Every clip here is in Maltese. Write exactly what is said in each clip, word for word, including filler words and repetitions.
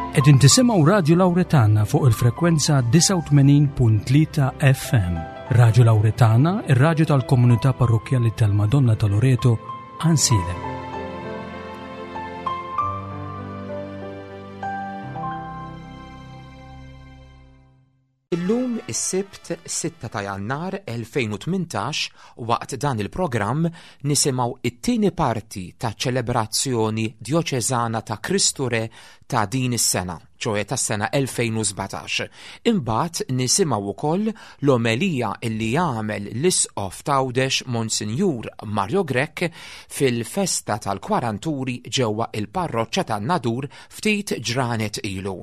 Qegħdin tisimgħu Radju Lawretana fuq il-frekwenza disgħa u tmenin punt tlieta F M. Radju Lawretana, ir-radju tal-komunità parrokkjali tal-Madonna ta' Loreto, Għajnsielem. Illum is-Sibt sitta ta' Jannar elfejn u tmintax waqt dan il-programm nisimgħu it-tieni parti ta' ċelebrazzjoni djoċeżana ta' Kristu Re ta' din is-sena, ċoe tas-sena elfejn u sbatax. Imbagħad nisimgħu wkoll l-omelija illi jagħmel l-Isqof t'Għawdex Monsinjur Mario Grech fil-festa tal-Kwaranturi ġewwa il-parroċċa tan-Nadur ftit ġranet ilu.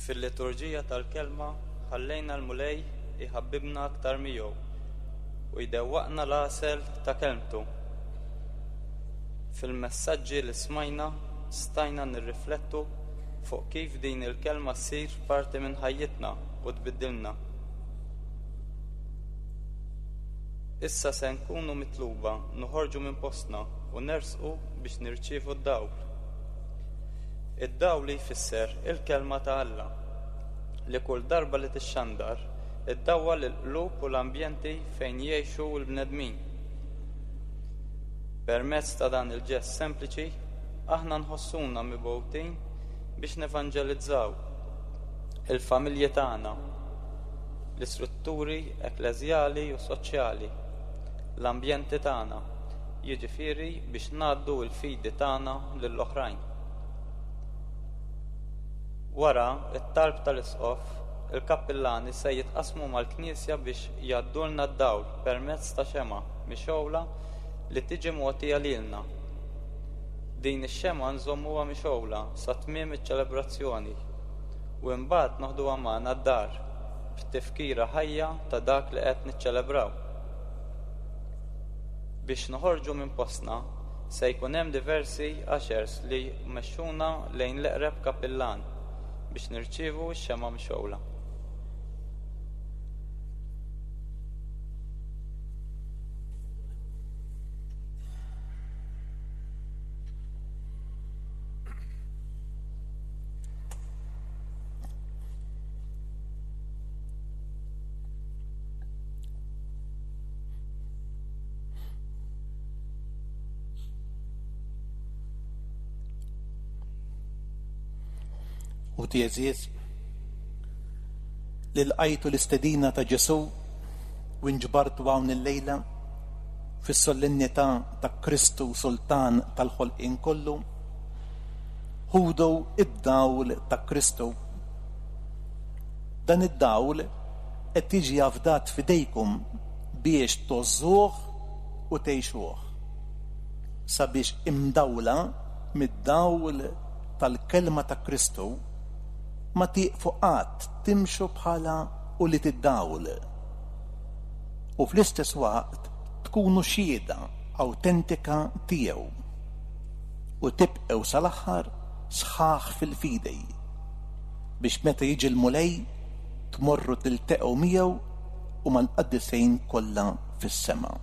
Fil-liturġija tal-kelma ħallejna l-Mulej iħabbibna aktar miegħu u jdewwaqna l-għasel ta' kelmtu. Fil-messaġġi li smajna stajna nirriflettu fuq kif din il-kelma ssir parti minn ħajjitna u tbiddilna. Issa se nkunu mitluba noħorġu minn postna u nersqu biex nirċievu d-dawl. Id-dawl li jfisser il-kelma ta' Alla, li kull darba li tixxandar iddawwal il-qlub u l-ambjenti fejn jgħixu l-bnedmin. Permezz ta' dan il-ġest sempliċi, aħna nħossuna mibgħutin biex nevanġelizzaw il-familji tagħna, l-istrutturi ekkleżjali u soċjali, l-ambjenti tagħna, jiġifieri biex ngħaddu l-fidi tagħna lill-oħrajn. Wara it-talb tal-Isqof, il-kappillani se jitqasmu mal-Knisja biex jgħaddulna d-dawl permezz ta' xemgħa mixgħula li tiġi mogħtija lilna. Din ix-xemgħa nżommuha mixgħula sa tmiem iċ-ċelebrazzjoni u imbagħad noħduha magħna d-dar b'tifkira ħajja ta' dak li qed niċċelebraw. Biex noħorġu minn postna se jkun hemm diversi ushers li jmexxuna lejn l-eqreb kappillan biex nirċievu x-xemgħa mixgħula. Uħti għeżież, li lqajtu l-istedina ta' Ġesù u nġbartu hawn illejla fis-solennità ta' Kristu Sultan tal-ħolqien kollu, ħudu id-dawl ta' Kristu. Dan id-dawl qed jiġi afdat f'idejkom biex tgħożżuh u tgħixuh, sabiex imdawla mid-dawl tal-kelma ta' Kristu ma tieqfu qatt timxu bħala ulied id-dawl u fl-istess waqt tkunu xhieda awtentika tiegħu u tibqgħu sal-aħħar sħaħ fil-fidej biex meta jiġi l-Mulej tmorru tilteqgħu miegħu u mal-qaddisin kollha fis-sema.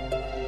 Thank you.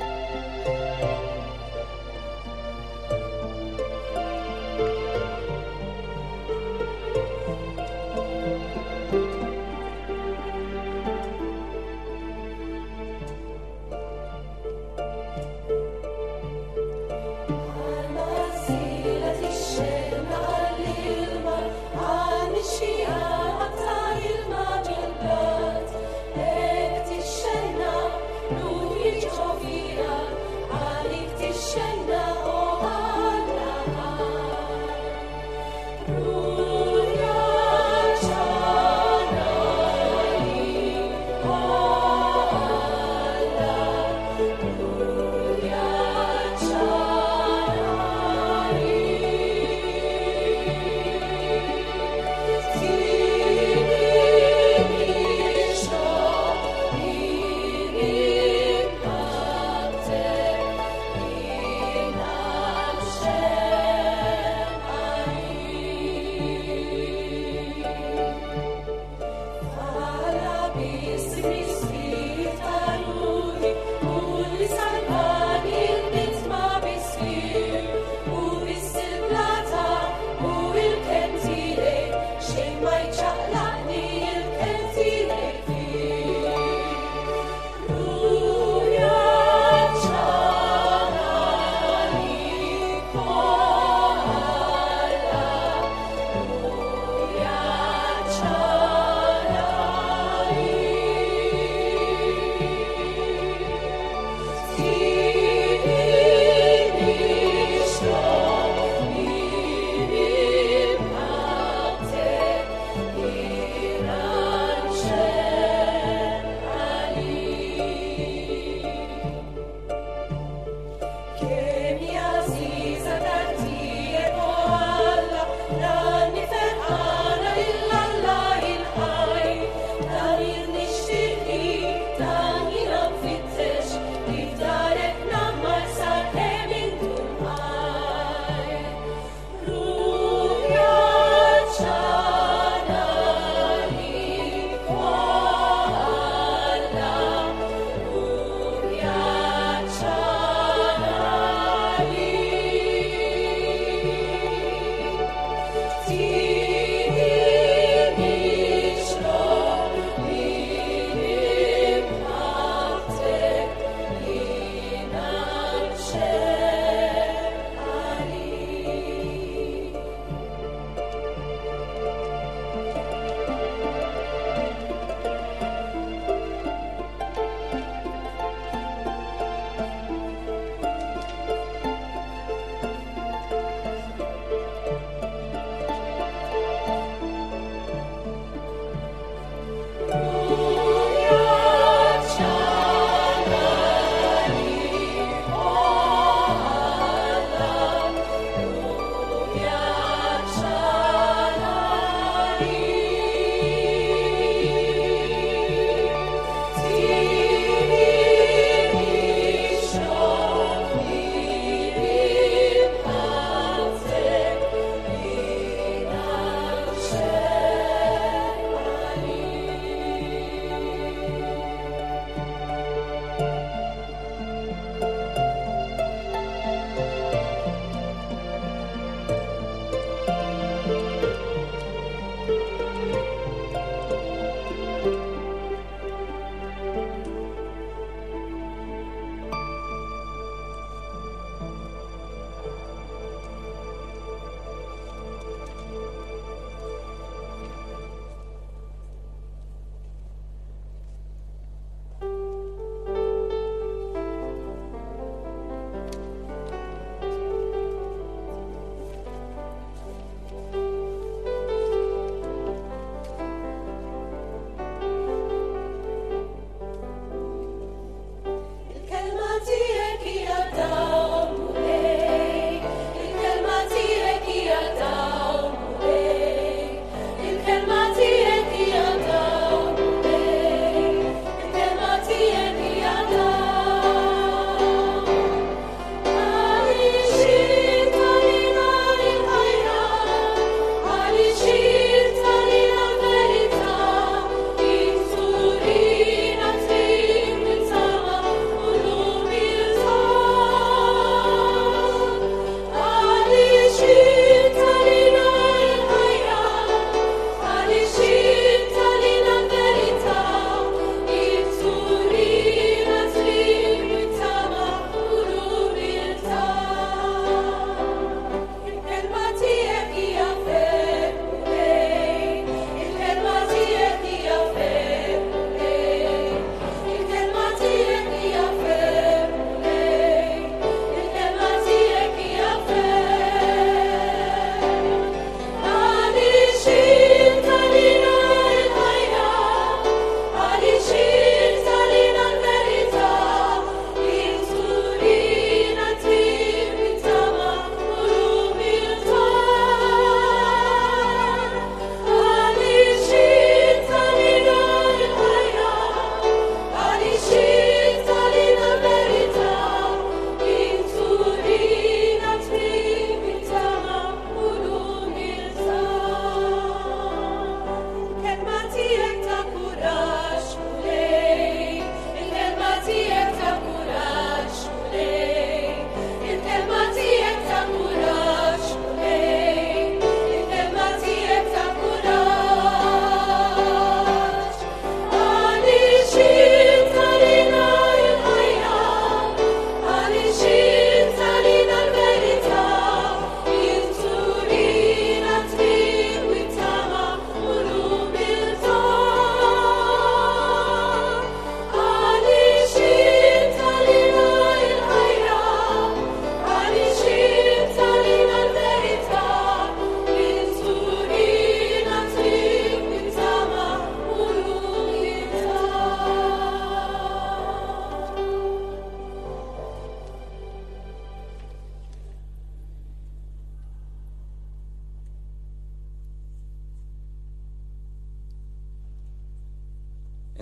Tiegħek ta' kuraġġ, Mulej.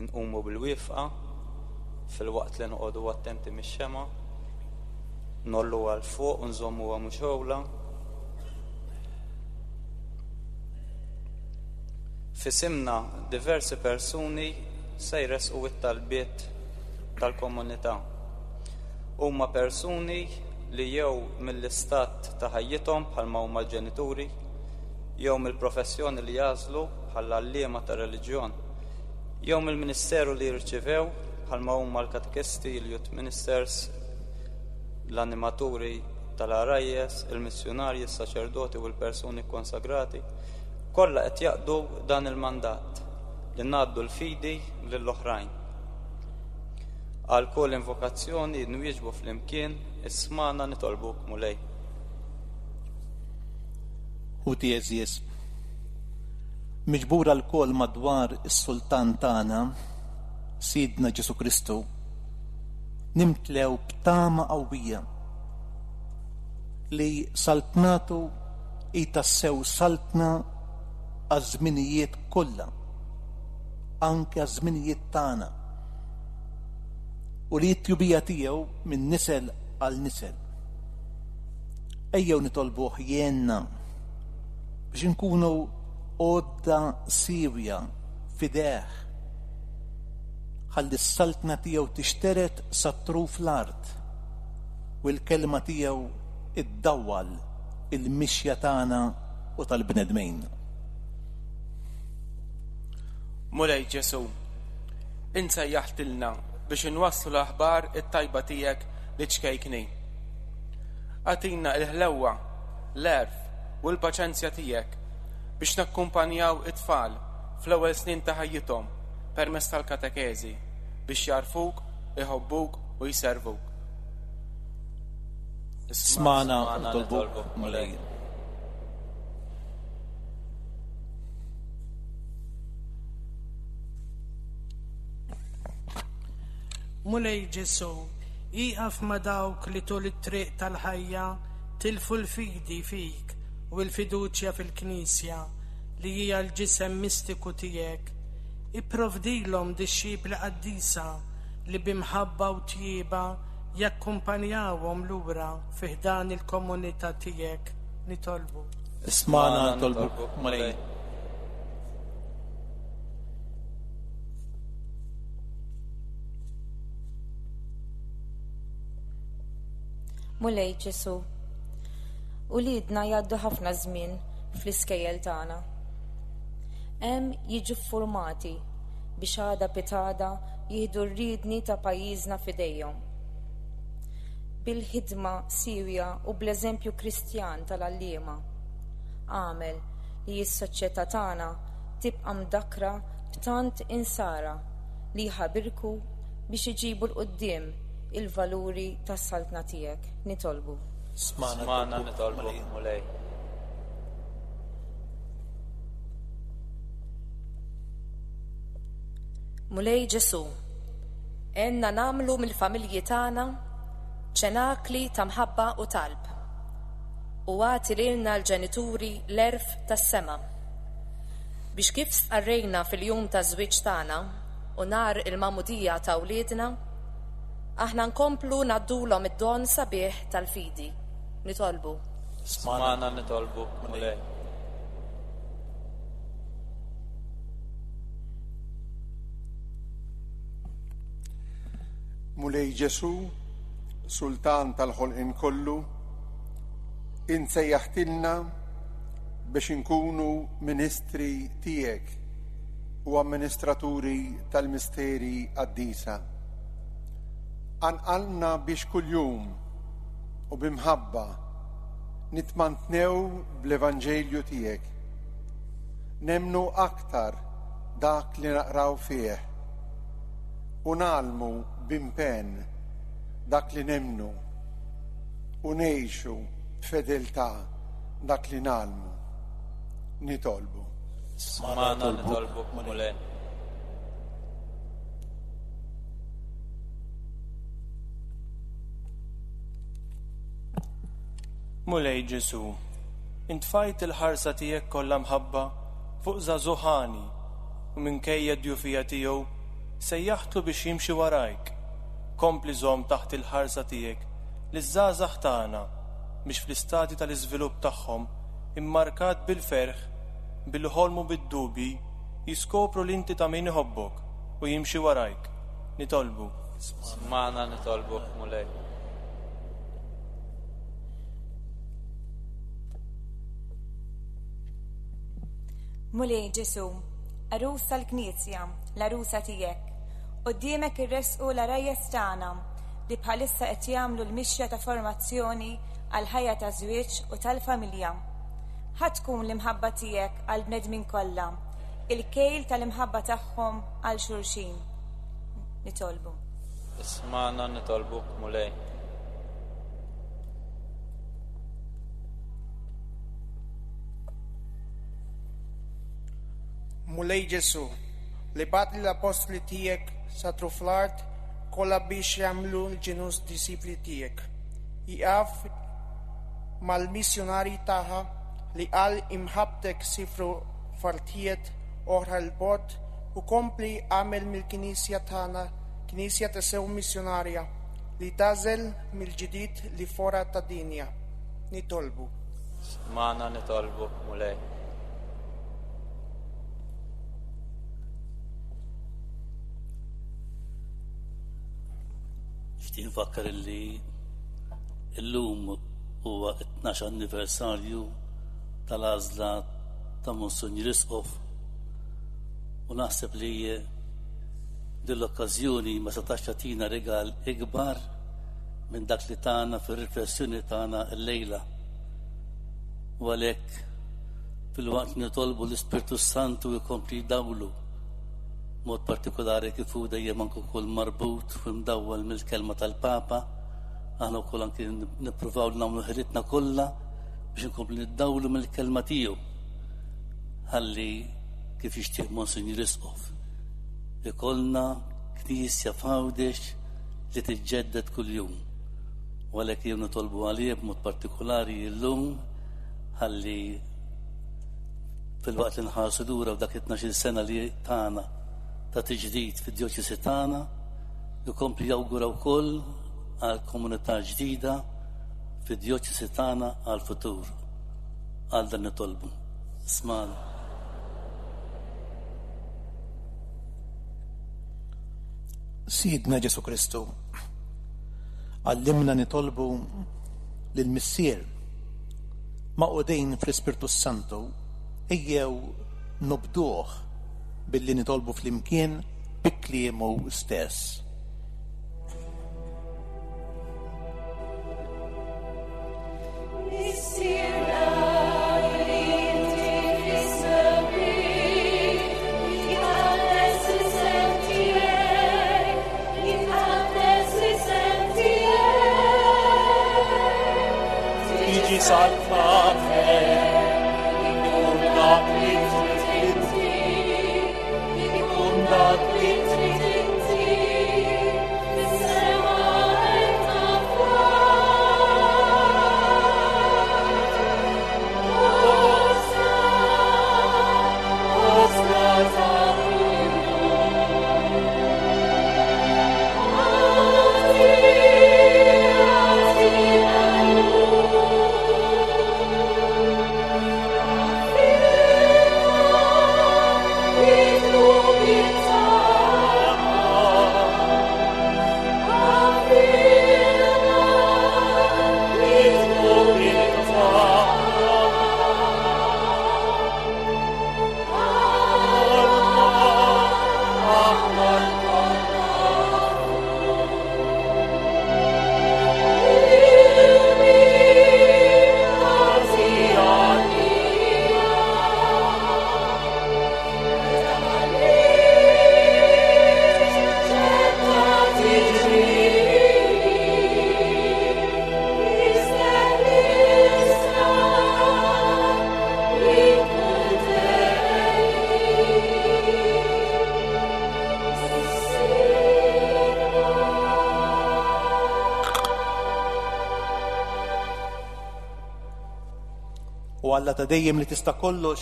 Inqumu bil-wieqfa filwaqt li noqogħdu attenti mix-xemgħa, ngħolluha 'l fuq u nżommuha mixgħula. F'isimna diversi persuni se jressqu t-talbiet tal-komunità. Huma persuni li jew mill-istat ta' ħajjithom bħalma huma l-ġenituri, jew mill-professjoni li jagħżlu bħall-għalliema ta' reliġjon, jew mill-ministeru li jirċivew bħalma huma l-katekisti, il-youth ministers, l-animaturi tal-għarajjes, il-missjunarji, is-saċerdoti u l-persuni konsagrati, kollha qed jaqdu dan il-mandat li ngħaddu l-fidi lill-oħrajn. Għal kull invokazzjoni nwieġbu flimkien, ismagħna nitolbuk Mulej. Ħuti għeżież, miġbura lkoll madwar is-Sultan tagħna, Sidna Ġesù Kristu, nimtlew b'tama qawwija li saltnatu hi tassew saltna għaż-żminijiet kollha, anke għaż-żminijiet tagħna, u li t-tjubija tiegħu minn nisel għal nisel. Ejjew nitolbuh jgħinna biex inkunu għodda siewja f'idejh, ħalli s-saltna tiegħu tixteret sa truf l-art u l-kelma tiegħu iddawwal il-mixja tagħna u tal-bnedmin. Mulej Ġesù, int sejjaħtilna biex inwasslu l-aħbar it-tajba tiegħek liċ-ċkejknin. Agħtina l-ħlewwa, l-għerf u l-paċenzja tiegħek biex nakkumpanjaw it-tfal fl-ewwel snin ta' ħajjithom permezz tal-katekeżi biex jagħrfuk, iħobbuk u jservuk. Ismagħna nitolbuk, Mulej. Mulej Ġesù, ieqaf ma' dawk li tul it-triq tal-ħajja tilfu l-fidi fik u l-fiduċja fil-Knisja li hija l-ġisem mistiku tiegħek. Ipprovdilhom dixxipli qaddisa li b'imħabba u tjieba jakkumpanjawhom lura fi ħdan il-komunità tiegħek. Nitolbu. Ismagħna nitolbuk, Mulej. Mulej Ġesù, uliedna jgħaddu ħafna żmien fl-iskejjel tagħna. Hemm jiġu ffurmati biex għada pitgħada jieħdu r-riedni ta' pajjiżna f'idejhom. Bil-ħidma siewja u bl-eżempju Kristjan tal-għalliema, għamel li s-soċjetà tagħna tibqa' mdakkra b'tant insara li jħabirku biex iġibu 'l quddiem il-valuri tas-saltna tiegħek. Nitolbu. Ismagħna nitolbuk, Mulej. Mulej Ġesù, għenna nagħmlu mill-familji tagħna ċenakli ta' mħabba u talb, u agħti lilna l-ġenituri l-għerf tas-sema, biex kif stqarrejna fil-jum ta' żwieġ tagħna u nhar il-magħmudija ta' wliedna, aħna nkomplu ngħaddulhom id-don sabiħ tal-fidi. Nitolbu. Ismagħna nitolbuk, Mulej. Mulej Ġesù, Sultan tal-ħolqien kollu, int sejjaħtilna biex inkunu ministri tiegħek u amministraturi tal-misteri qaddisa. Anqalna biex kuljum u b'imħabba nitmantnew bl-Evanġelju tiegħek. Nemmnu aktar dak li naqraw fih u nagħlmu b'impenn dak li nemmnu u ngħixu b'fedeltà dak li nagħlmu. Nitolbu. Ismagħna nitolbuk, Mulej. Mulej Ġesù, intfajt il-ħarsa tiegħek kollha mħabba fuq żagħżugħ għani u minkejja d-djufija tiegħu sejjaħtlu biex jimxi warajk. Kompli żomm taħt il-ħarsa tiegħek liż-żgħażagħ tagħna biex fl-istadju tal-iżvilupp tagħhom immarkat bil-ferħ, bil-ħolm u bid-dubji, jiskopru li inti ta' min iħobbok u jimxi warajk. Nitolbu. Smana nitolbuk, Mulej. Mulej Ġesu, għarus tal-Knisja, l-għarusa tiegħek, quddiemek irresqu l-għarajjes tagħna li bħalissa qed jagħmlu l-mixja ta' formazzjoni għal ħajja ta' żwieġ u tal-familja. Ħa tkun l-imħabba tiegħek għal bnedmin kollha, il-kejl tal-imħabba tagħhom għal xulxin. Nitolbu. Ismana nitolbuk, Mulej. Mulej Ġesu, li bgħatt lill-appostli tiegħek satru fl-art kollha biex jagħmlu l-ġnus disċipli tiegħek. Ieqaf mal-missjonarji tagħha li għal imħabbtek sifru f'artijiet oħra 'l bogħod u kompli agħmel mill-Knisja tagħna Knisja tassew missjonarja li tagħżel mill-ġdid l-foqra tad-dinja. Nitolbu. Smana nitolbuk, Mulej. Nixtieq nfakkar illi illum huwa t-tnax anniversarju tal-għażla ta' Monsinjur Isqof u naħseb li din l-okkażjoni ma setax tagħtina rigal ikbar minn dak li tagħna fir-riflessjoni tagħna llejla. U għalhekk filwaqt nitolbu l-Ispirtu Santu jkompli jdawlu mod partikolari kif hu dejjem anke wkoll marbut u mdawwal mill-kelma tal-Papa, aħna wkoll anke nippruvaw nagħmlu ħilitna kollha biex inkomplu niddawlu mill-kelma tiegħu. Ħalli kif jixtieq Monsinjur Isqof ikollna knisja f'Għawdex li tiġġedded kuljum. U għalhekk jien nitolbu għalih b'mod partikolari llum ħalli filwaqt li nħarsu lura f'dak it-tnax-il sena li tagħna ta' tiġdid fid-djoċesi tagħna, jkompli jawgura wkoll għal komunità ġdida fid-djoċesi tagħna għal futur. Għal dan nitolbu. Smana. Sidna Ġesu Kristu, għallimna nitolbu lill-Missier magħqudin fl-Ispirtu Santu, ejjew nobduh billi nitolbu flimkien bi kliemu stess. Missierna li inti fis-smewwiet, jitqaddes l-isem tiegħek, jitqaddes l-isem tiegħek. Tiġi saltnatek, ikun dak li trid inti, ikun dak li trid inti, fis-sema hekk fl-art. Ħobżna, ħobżna ta' kuljum. Agħtina llum. Id-dnubiet tagħna, aħfirna id-dnubiet tagħna. Aħna lkoll nafu. Lil min tagħti għalina. Meta ħallejt ċerta tiġrini, isteħlisna minn kull U Alla ta' dejjem li tista' kollox,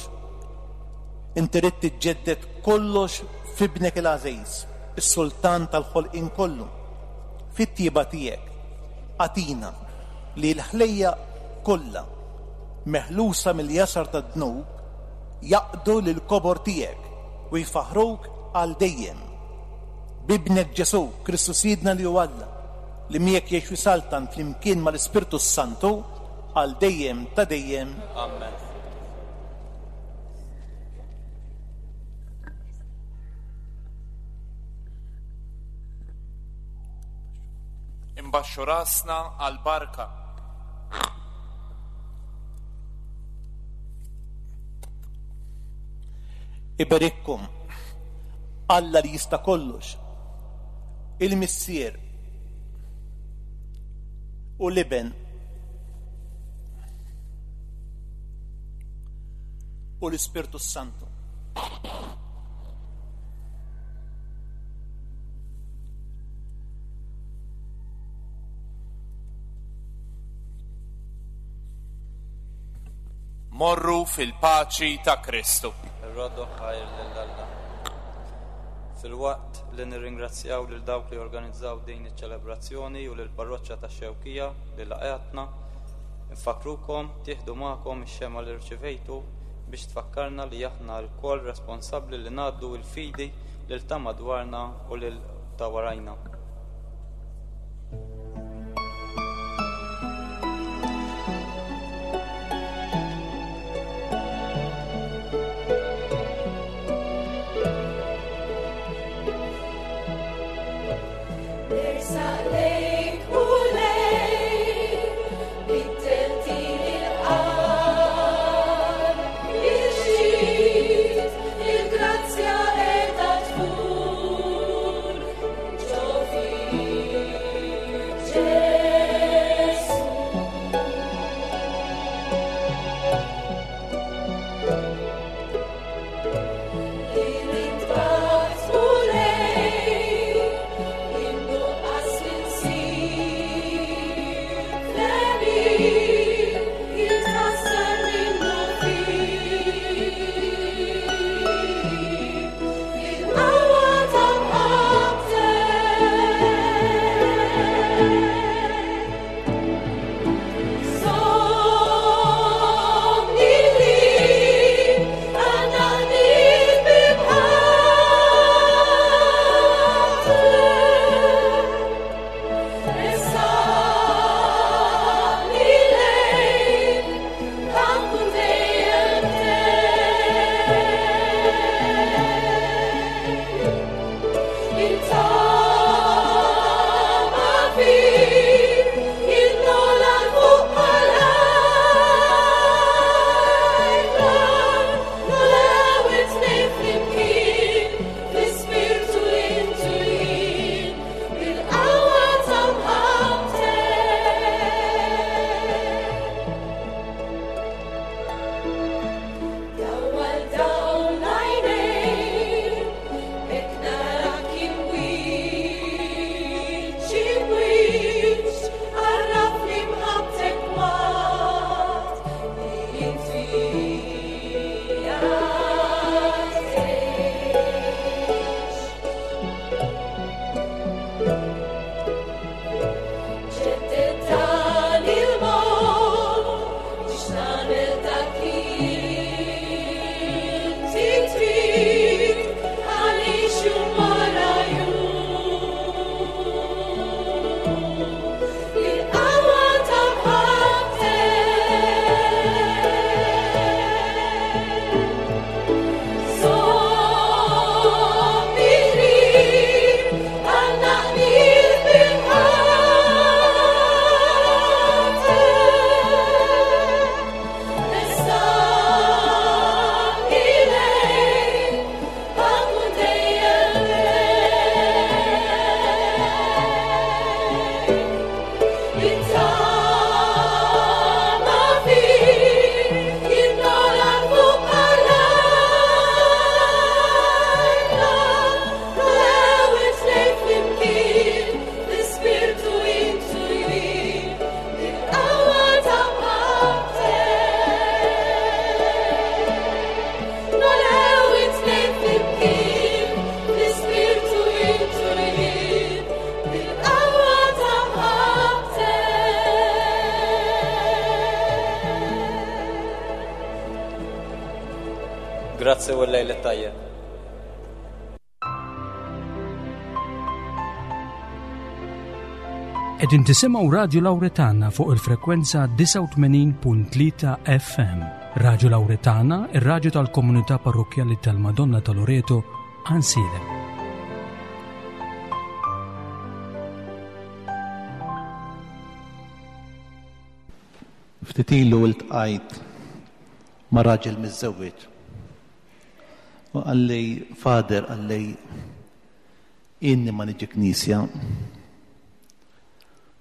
inti ridt tiġġedded kollox f'ibnek il-għażiż. is-Sultan tal-ħolqien kollu, fit-tjieba tiegħek agħtina li l-ħlejjaq kollha meħlusa mill-jasar tad-dnub jaqdu lill-kobor tiegħek u jfaħruk għal dejjem. B'Ibnek Ġesù Kristu Sidna li hu Alla, li miegħek jgħix u jsaltan flimkien mal-Ispirtu Santu għal dejjem ta' dejjem. Amen. Imbaxxu rasna għal barka. Iberikkom Alla li jista' kollox, il-Missier u l-Iben u l-Ispirtu Santu. Morru fil-paċi ta' Kristu. Irroddu ħajr lil Alla. Filwaqt li nirringrazzjaw lil dawk li organizzaw din iċ-ċelebrazzjoni u lil parroċċa tax-Xewkija li laqgħetna, nfakkrukom tieħdu magħkom ix-xemgħa li rċivejtu biex tfakkarna li aħna lkoll responsabbli li ngħaddu l-fidi lil ta' madwarna u lil ta' warajna. Nersaq lejk u lejk, biddeltili l-qalb. Il-ġid, il-grazzja qiegħda tfur, ġo Grazzi u l-lejl it-tajjeb. Qegħdin tisimgħu Radju Lawretana fuq il-frekwenza disgħa u tmenin punt tlieta F M. Radju Lawretana, ir-radju tal-Komunità Parrokkjali tal-Madonna ta' Loreto, Għajnsielem. Ftit ilu ltqajt ma' raġel miżżewweġ. U qalli, Fader, qalli, inni ma niġi knisja.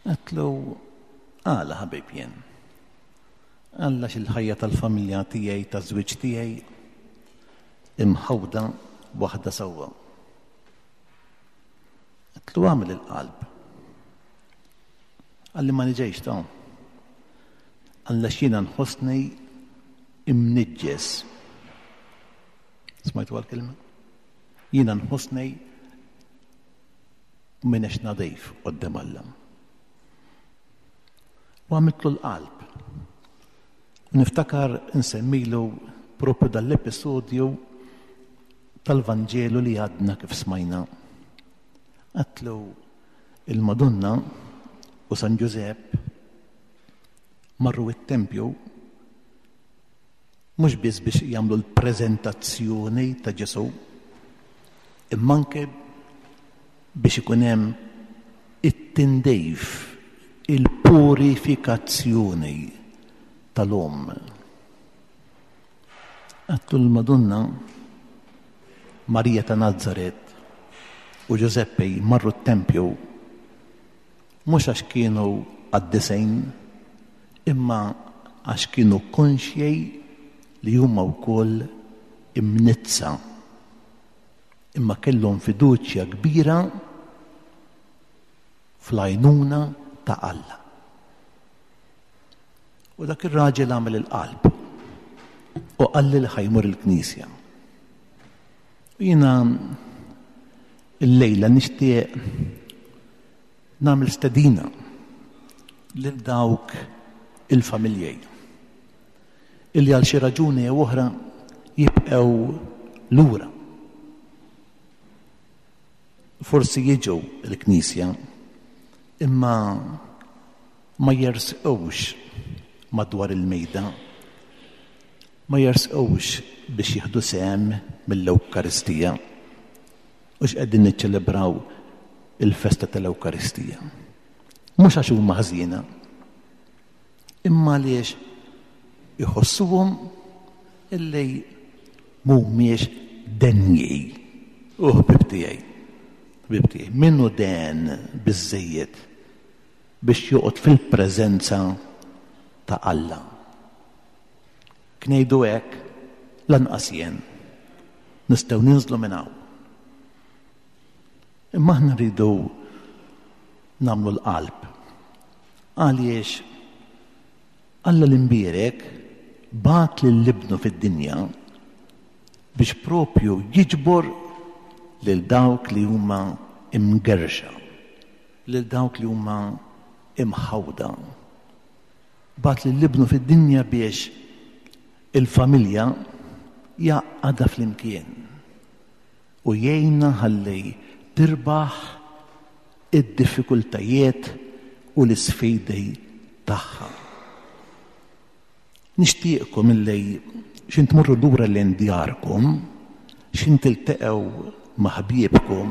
Għedtlu, għala ħabib jien. Għalla xil-ħajja tal-familja tiegħi, taż-żwieġ tiegħi, imħawda waħda sewwa. Għedtlu għamel il-qalb. Qalli ma niġejx ta'. Għalla x'jiena nħossni imniġġes. Smajtu għal-kelma? Jiena nħossni m'iniex nadif quddiem Alla. U għamiltlu l-qalb. U niftakar nsemmilu propju dal-episodju tal-Vanġelu li għadna kif smajna. Għatlu il-Madonna u San Ġużepp marru it-tempju mhux biss biex jagħmlu l-preżentazzjoni ta' Ġesù, imma anke biex ikun hemm it-tindejf, il-purifikazzjoni tal-omm. Għattu l-Madonna Marija ta' Nazaret u Ġużeppi marru t-tempju mhux għax kienu qaddisejn, imma għax kienu konxjej li huma wkoll imnizza, imma kellhom fiduċja kbira fl-għajnuna ta' Alla. U dak ir-raġel għamel il-qalb u qalli li ħajmur il-knisja. U jiena illejla nixtieq nagħmel stedina lil dawk il-familjej illi għal xi raġuni jew oħra jibqgħu lura. Forsi jiġu l-knisja imma ma jersqux madwar il-mejda, ma jersqux biex jieħdu sehem mill-Ewkaristija. U x'qegħdin niċċelebraw il-festa tal-Ewkaristija? Mhux għax huma ħażina, imma għaliex iħossuhom illi mhumiex denji. U ħbib tiegħi, ħbib tiegħi, min hu den biżżejjed biex joqgħod fil-preżenza ta' Alla? Knejdu hekk lanqas jien nistgħu ninżlu minn hawn. Imma aħna rridu nagħmlu l-qalb. Għaliex Alla l-imbierek bagħat lil ibnu fid-dinja biex propju jiġbor lil dawk li huma imgerxa, lil dawk li huma imħawda. Bagħat lil ibnu fid-dinja biex il-familja jgħaqqadha flimkien u jgħinna ħalli tirbaħ id-diffikultajiet u l-isfidi tagħha. Nixtieqkom illi xin tmorru lura lejn djarkom, xin tilteqgħu ma' ħbiebkom,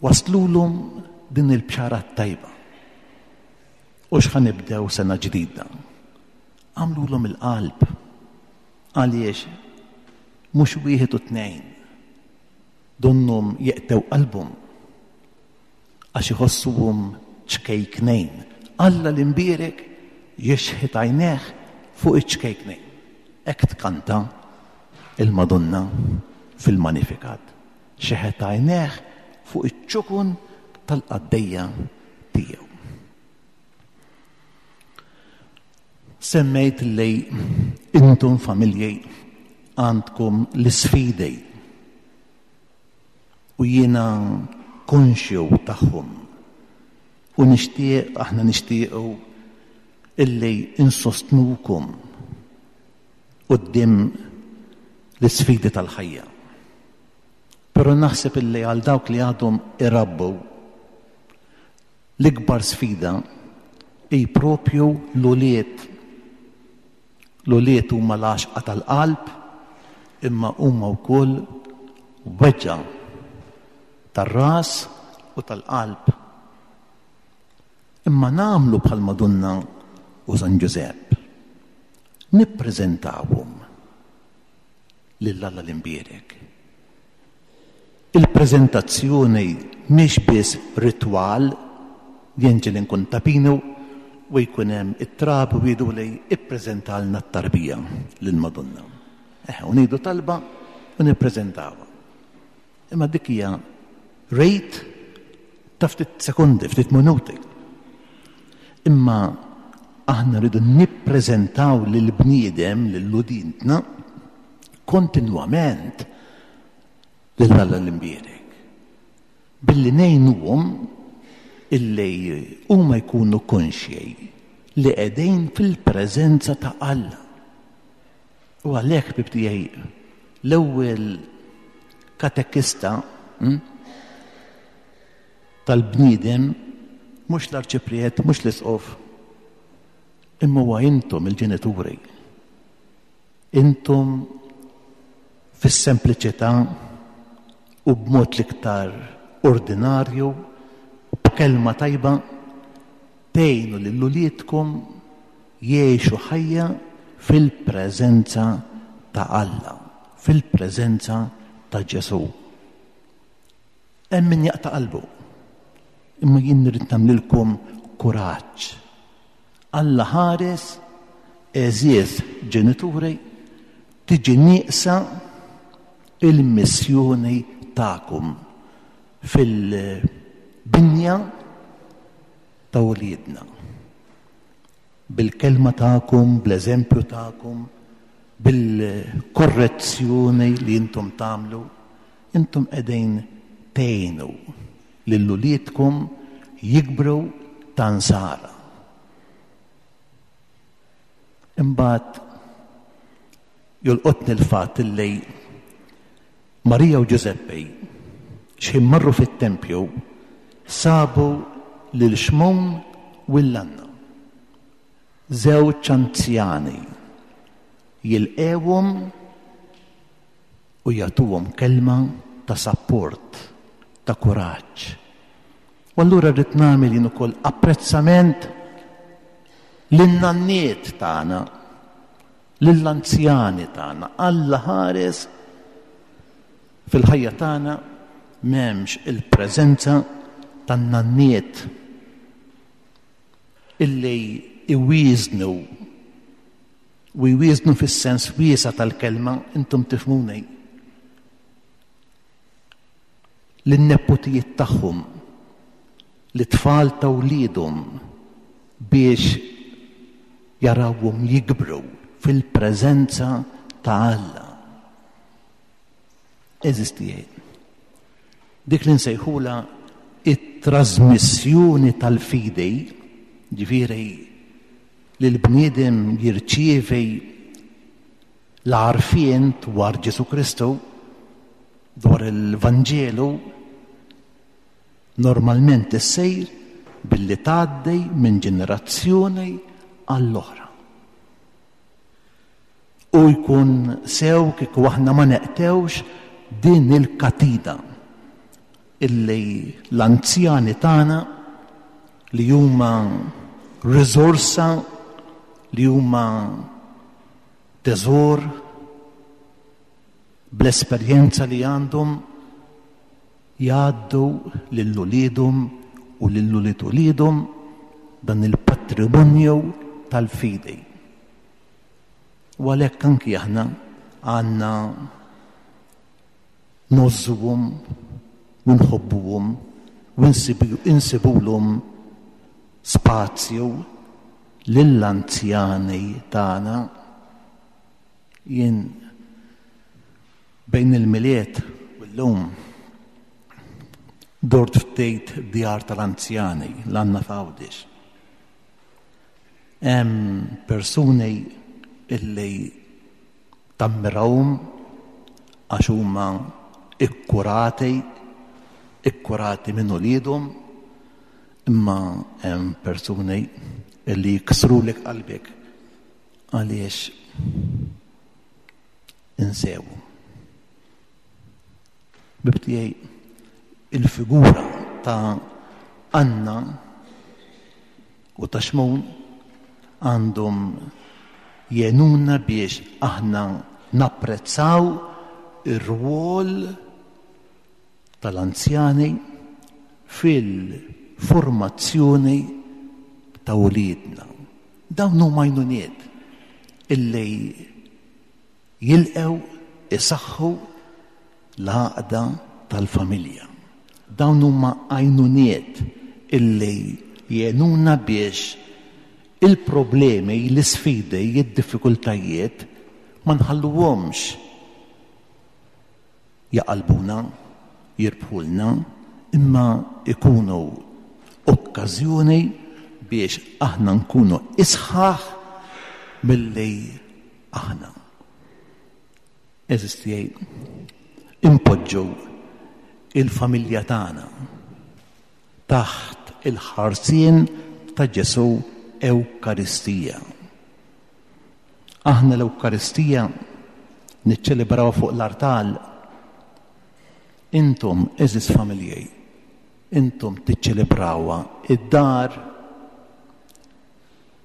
waslulhom din il-bxara t-tajba. U x'ħa nibdew sena ġdida. Għamlulhom il-qalb għaliex mhux wieħed u tnejn donnhom jeqtew qalbhom għax iħossuhom ċkejknejn. Alla l-imbierek jixħet għajnejh fuq iċ-ċkejknejn. Hekk tkanta il-Madonna fil-Magnificat. Xeħet għajnejh fuq iċ-ċukun tal-qaddejja tiegħu. Semmejt li intom familji għandkom l-isfidi u jiena konxju tagħhom u nixtieq, aħna nixtiequ illi insostnukom quddiem l-isfidi tal-ħajja. Però naħseb illi għal dawk li għadhom irabbu l-ikbar sfida hi propju l-ulied. L-ulied huma l-għaxqa tal-qalb, imma huma wkoll weġgħa tar-ras u tal-qalb. Imma nagħmlu bħal Madonna u San Ġużepp. Nippreżentawhom lil Alla l-Imbierek. Il-preżentazzjoni mhix biss ritwal, jien ġieli nkun Ta' Pinu u jkun hemm it-trabi u jgħidu li ippreżentalna t-tarbija lill-Madonna. Eh, u ngħidu talba u nippreżentawha. Imma dik hija rejt ta' ftit sekondi, ftit minuti. Imma aħna rridu nippreżentaw lill-bniedem, lill-udintna, kontinwament lil Alla l-Imbierek. Billi ngħinuhom illi huma jkunu konxji li qegħdin fil-preżenza ta' Alla. U għalhekk, ħbieb tiegħi, l-ewwel katekista, hm, tal-bniedem mhux l-arċipriet, mhux l-isqof, imma huwa intom il-ġenituri. Intom fis-sempliċità u b'mod l-iktar ordinarju, b'kelma tajba, tgħinu lil uliedkom jgħixu ħajja fil-preżenza ta' Alla, fil-preżenza ta' Ġesù. Hemm min jaqta' qalbu, imma jien nrid nagħmlilkom kuraġġ. Alla ħares, għeżież ġenituri, tiġi nieqsa il-missjoni tagħkom fil-binja ta' uliedna. Bil-kelma tagħkom, bl-eżempju tagħkom, bil-korrezzjoni li intom tagħmlu, intom qegħdin tgħinu lil uliedkom jikbru ta' nsara. Imbagħad jolqotni l-fatt li Marija u Ġużeppi x'ħin marru fit-tempju sabu lil Xmun u l-Anna, żewġ anzjani, jilqewhom u jagħtuhom kelma ta' sapport, ta' kuraġġ. U allura rrid nagħmel jien ukoll apprezzament lin-nanniet tagħna, lill-anzjani tagħna. Alla ħares fil-ħajja tagħna m'hemmx il-preżenza tan-nanniet illi iwieżnu, u jwieżnu fis-sens wiesa' tal-kelma, intom tifhmuni, lin-nepotijiet tagħhom, l-tfal ta' wliedhom, biex jarawhom jikbru fil-preżenza ta' Alla. Eżisti dik li nsejħula it-trasmissjoni tal-fidi, ġifieri li l-bniedem jirċievi l-għarfien dwar Ġesù Kristu, dwar il-Vanġelu, normalment issejr billi tgħaddi minn ġenerazzjoni għall-oħra. U jkun sew kieku aħna ma neqtewx din il-katina illi l-anzjani tagħna li huma riżorsa, li huma teżor bl-esperjenza li għandhom, jgħaddu lil uliedhom u lil ulied uliedhom dan il-patrimonju tal-fidi. U għalhekk anki aħna għandna ngħożżuhom u nħobbuhom u insibulhom spazju lill-anzjani tagħna. Jien bejn il-Milied u llum dort ftit djar tal-anzjani l-għandna f'Għawdex. Hemm persuni illi tammirawhom, għax huma ikkurati, ikkurati minn uliedhom, imma hemm persuni li jiksrulek qalbek għaliex insewu. Ħbieb tiegħi, il-figura ta' Anna u ta' Xmun għandhom jgħinuna biex aħna napprezzaw ir-rwol tal-anzjani fil-formazzjoni ta' uliedna. Dawn huma għajnuniet illi jilqew isaħħu l-għaqda tal-familja. Dawn huma għajnuniet illi jgħinuna biex il-problemi, l-isfidi, id-diffikultajiet ma nħalluhomx jaqalbuna, jirbħulna, imma ikunu okkażjoni biex aħna nkunu isħaħ milli aħna. Għeżież tiegħi, impoġġu il-familja tagħna taħt il-ħarsien ta' Ġesù Ewkaristija. Aħna l-Ewkaristija niċċelebraw fuq l-artal. Intom, għeżież familjej, intom tiċċelebrawha id-dar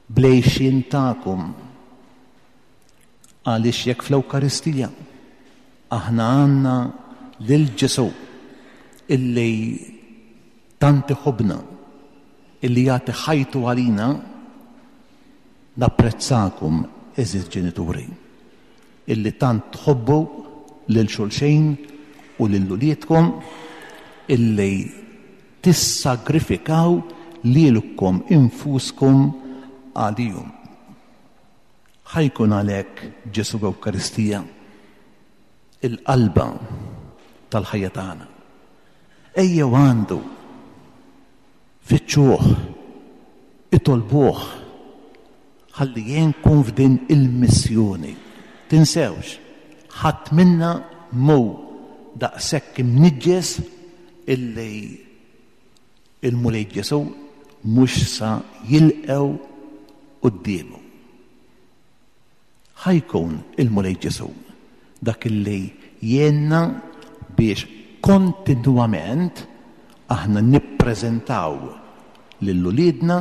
bl-għixien tagħkom. Għaliex jekk fl-Ewkaristija aħna għandna lil Ġesù illi tant iħobbna, illi jagħti ħajtu għalina, napprezzakom, għeżież ġenituri, illi tant tħobbu lil xulxin u lil uliedkom, illi tissagrifikaw lilkom infuskom għalihom. Ħa jkun għalhekk Ġesù Ewkaristija il-qalba tal-ħajja tagħna. Ejjew għandu, fittxuh, itolbuh, ħalli jgħinkom f'din il-missjoni. Tinsewx, ħadd minna mhu daqshekk imniġġes illi il-Mulej Ġesù mhux sa jilqew quddiemu. Ħa jkun il-Mulej Ġesù dak illi jgħinna biex kontinwament aħna nippreżentaw lil uliedna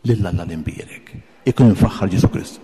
lil Alla l-imbierek. Ikun imfaħħar Ġesù Kristu.